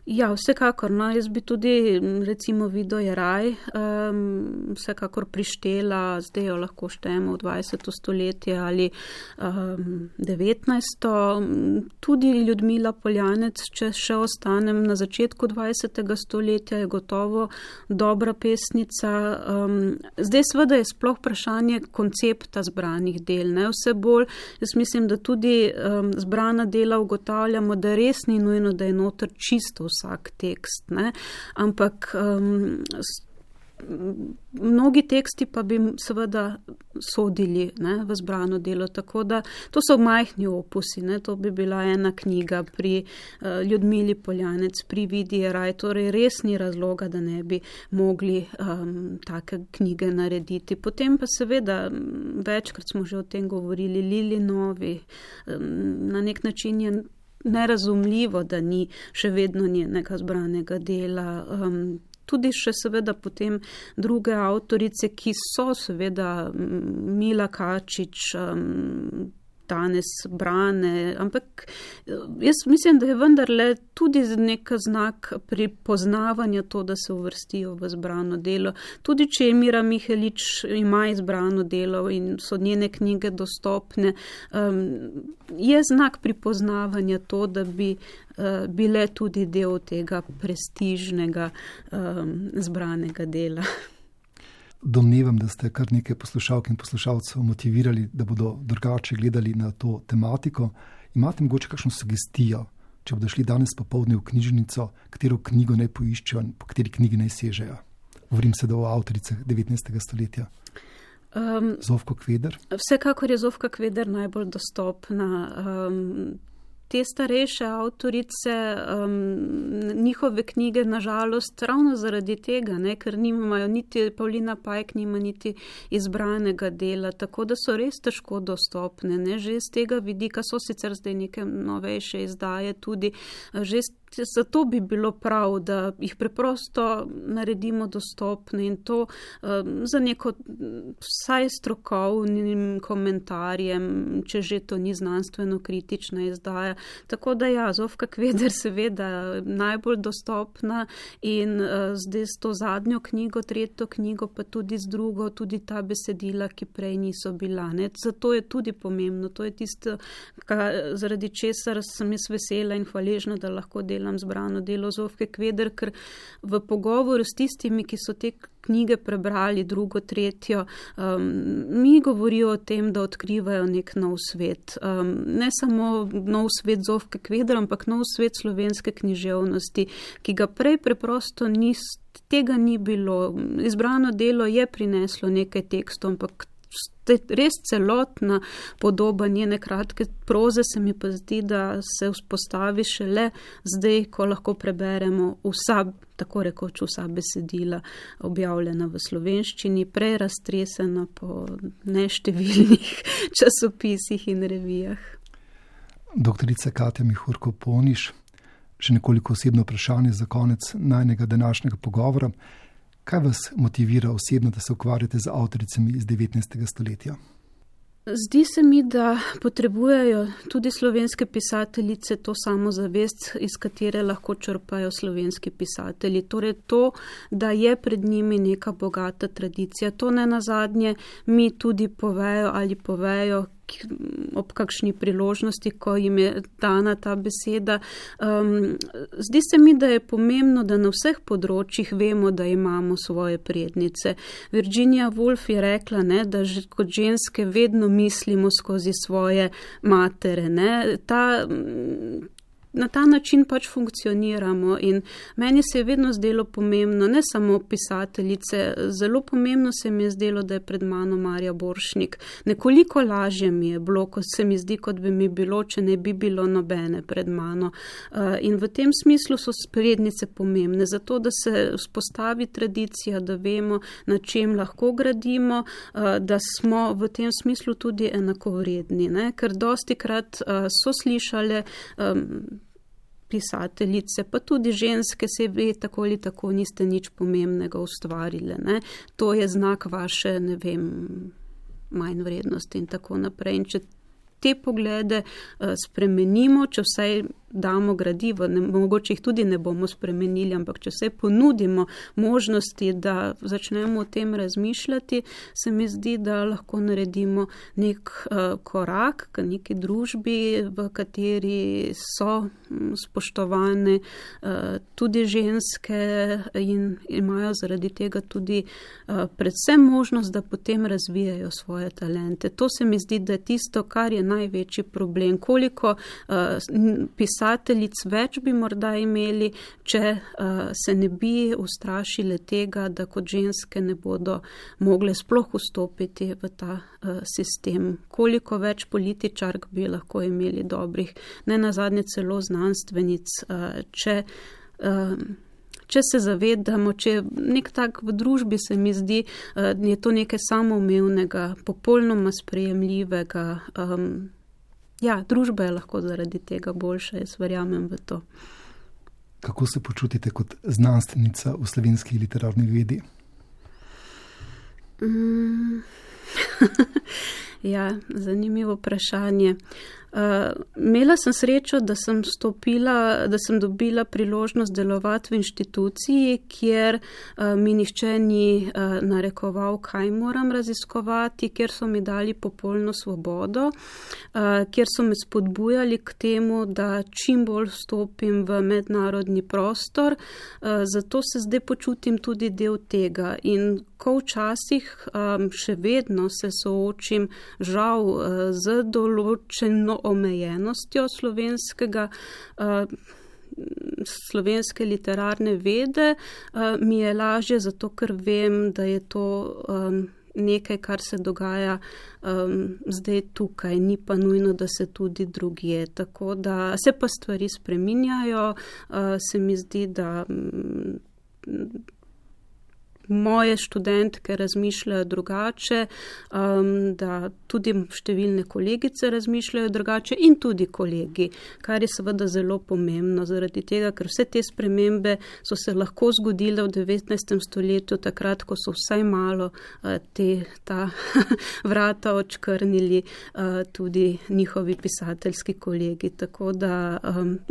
Ja, vsekakor, no, jaz bi tudi recimo Vido Jeraj vsekakor prištela, zdaj jo lahko štejemo v 20. stoletje ali 19. Tudi Ljudmila Poljanec, če še ostanem na začetku 20. stoletja, je gotovo dobra pesnica. Zdaj seveda je sploh vprašanje koncepta zbranih del, ne, vse bolj, jaz mislim, da tudi zbrana dela ugotavljamo, da res ni nujno, da je noter čisto vsak tekst, ne? Ampak mnogi teksti pa bi seveda sodili, ne, v zbrano delo, tako da to so majhni opusi, ne? To bi bila ena knjiga pri Ljudmili Poljanec, pri Vidi Jeraj, torej res ni razloga, da ne bi mogli take knjige narediti. Potem pa seveda, večkrat smo že o tem govorili, Lili Novi, na nek način je nerazumljivo, da ni še vedno njenega zbranega dela. Tudi še seveda potem druge avtorice, ki so seveda Mila Kačič, danes brane, ampak jaz mislim, da je vendarle tudi nek znak pripoznavanja to, da se uvrstijo v zbrano delo. Tudi če je Mira Mihelič ima izbrano delo in so njene knjige dostopne, je znak pripoznavanja to, da bi bile tudi del tega prestižnega zbranega dela. Domnevam, da ste kar nekaj poslušalk in poslušalcev motivirali, da bodo drugače gledali na to tematiko. Imate mogoče kakšno sugestijo, če bodo šli danes popoldne v knjižnico, katero knjigo naj poiščejo in po kateri knjigi naj sežejo? Govorim se o avtoricah 19. stoletja. Zofko Kveder? Vsekakor je Zofka Kveder najbolj dostopna. Te starejše avtorice, njihove knjige, nažalost, ravno zaradi tega, ne, ker nimajo niti Pavlina Pajk, nima niti izbranega dela, tako da so res težko dostopne, ne, že iz tega vidika so sicer zdaj neke novejše izdaje tudi, že zato bi bilo prav, da jih preprosto naredimo dostopne in to za neko vsaj strokovnim komentarjem, če že to ni znanstveno kritična izdaja. Tako da ja, Zofka Kveder seveda najbolj dostopna in zdaj s to zadnjo knjigo, tretjo knjigo, pa tudi z drugo, tudi ta besedila, ki prej niso bila. Ne? Zato je tudi pomembno, to je tisto, zaradi česar sem jaz vesela in hvaležna, da lahko delam delam zbrano delo Zofke Kveder, ker v pogovoru s tistimi, ki so te knjige prebrali, drugo, tretjo, mi govorijo o tem, da odkrivajo nek nov svet. Ne samo nov svet Zofke Kveder, ampak nov svet slovenske književnosti, ki ga prej preprosto tega ni bilo. Izbrano delo je prineslo nekaj tekstov, ampak res celotna podoba njene kratke proze se mi pa zdi, da se vzpostavi šele zdaj, ko lahko preberemo tako rekoč vsa besedila objavljena v slovenščini, prej raztresena po neštevilnih časopisih in revijah. Doktorica Katja Mihurko Poniš, še nekoliko osebno vprašanje za konec najnega današnjega pogovora. Kaj vas motivira osebno, da se ukvarjate z avtoricami iz 19. stoletja? Zdi se mi, da potrebujejo tudi slovenske pisateljice to samozavest, iz katere lahko črpajo slovenski pisatelji. Torej to, da je pred njimi neka bogata tradicija. To ne nazadnje mi tudi povejo ob kakšni priložnosti, ko jim je dana ta beseda. Zdi se mi, da je pomembno, da na vseh področjih vemo, da imamo svoje prednice. Virginia Woolf je rekla, da kot ženske vedno mislimo skozi svoje matere. Na ta način pač funkcioniramo in meni se je vedno zdelo pomembno, ne samo pisateljice, zelo pomembno se mi je zdelo, da je pred mano Marja Borštnik. Nekoliko lažje mi je bilo, ko se mi zdi, kot bi mi bilo, če ne bi bilo nobene pred mano. In v tem smislu so prednice pomembne, zato da se vzpostavi tradicija, da vemo, na čem lahko gradimo, da smo v tem smislu tudi enakovredni, ker dostikrat so slišale pisateljice, pa tudi ženske, se ve, tako ali tako niste nič pomembnega ustvarile. To je znak vaše, manj vrednosti in tako naprej. In če te poglede spremenimo, če vsaj damo gradivo, mogoče jih tudi ne bomo spremenili, ampak če vsaj ponudimo možnosti, da začnemo o tem razmišljati, se mi zdi, da lahko naredimo nek korak k neki družbi, v kateri so spoštovane tudi ženske in imajo zaradi tega tudi predvsem možnost, da potem razvijajo svoje talente. To se mi zdi, da je tisto, kar je največji problem. Koliko pisateljic več bi morda imeli, če se ne bi ustrašile tega, da kot ženske ne bodo mogle sploh vstopiti v ta sistem. Koliko več političark bi lahko imeli dobrih, ne nazadnje celo znanstvenic, če se zavedamo, če nek tak v družbi se mi zdi, je to nekaj samoumevnega, popolnoma sprejemljivega. Družba je lahko zaradi tega boljša, jaz verjamem v to. Kako se počutite kot znanstvenica v slovenski literarni vedi? Zanimivo vprašanje. Imela sem srečo, da sem dobila priložnost delovati v inštituciji, kjer mi nihče ni narekoval, kaj moram raziskovati, kjer so mi dali popolno svobodo, kjer so me spodbujali k temu, da čim bolj vstopim v mednarodni prostor, zato se zdaj počutim tudi del tega. In ko včasih še vedno se soočim žal z določeno omejenostjo slovenske literarne vede, mi je lažje, zato ker vem, da je to nekaj, kar se dogaja zdaj tukaj, ni pa nujno, da se tudi drugje. Tako da se pa stvari spreminjajo, se mi zdi, da moje študentke razmišljajo drugače, da tudi številne kolegice razmišljajo drugače in tudi kolegi, kar je seveda zelo pomembno zaradi tega, ker vse te spremembe so se lahko zgodile v 19. stoletju, takrat, ko so vsaj malo ta vrata odškrnili tudi njihovi pisateljski kolegi. Tako da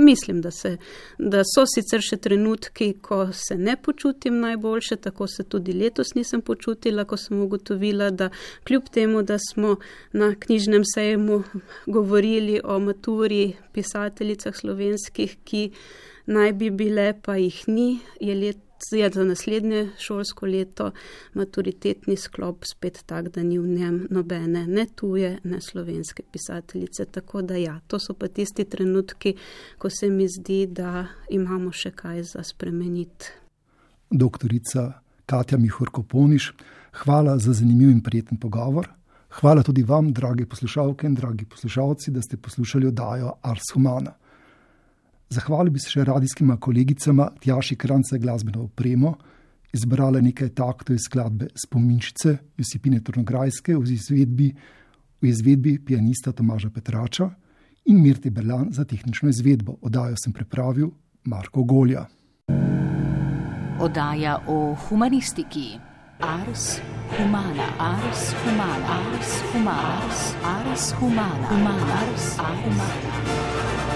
mislim, da so sicer še trenutki, ko se ne počutim najboljše, tako se tudi letos nisem počutila, ko sem ugotovila, da kljub temu, da smo na knjižnem sejmu govorili o maturi pisateljicah slovenskih, ki naj bi bile, pa jih ni, je za naslednje šolsko leto maturitetni sklop spet tak, da ni v njem nobene ne tuje, ne slovenske pisateljice. Tako da ja, to so pa tisti trenutki, ko se mi zdi, da imamo še kaj za spremeniti. Doktorica Katja Mihurko-Poniš, hvala za zanimiv in prijeten pogovor. Hvala tudi vam, drage poslušalke in dragi poslušalci, da ste poslušali oddajo Ars Humana. Zahvalil bi se še radijskima kolegicama Tjaši Krance glasbeno opremo, izbrala nekaj taktov iz skladbe Spominčice Josipine Trnograjske v izvedbi pianista Tomaža Petrača in Mirte Berlan za tehnično izvedbo. Oddajo sem pripravil Marko Golja. Oddaja o humanistiki. Ars Humana. Ars Humana. Ars Humana. Ars Humana. Ars Humana.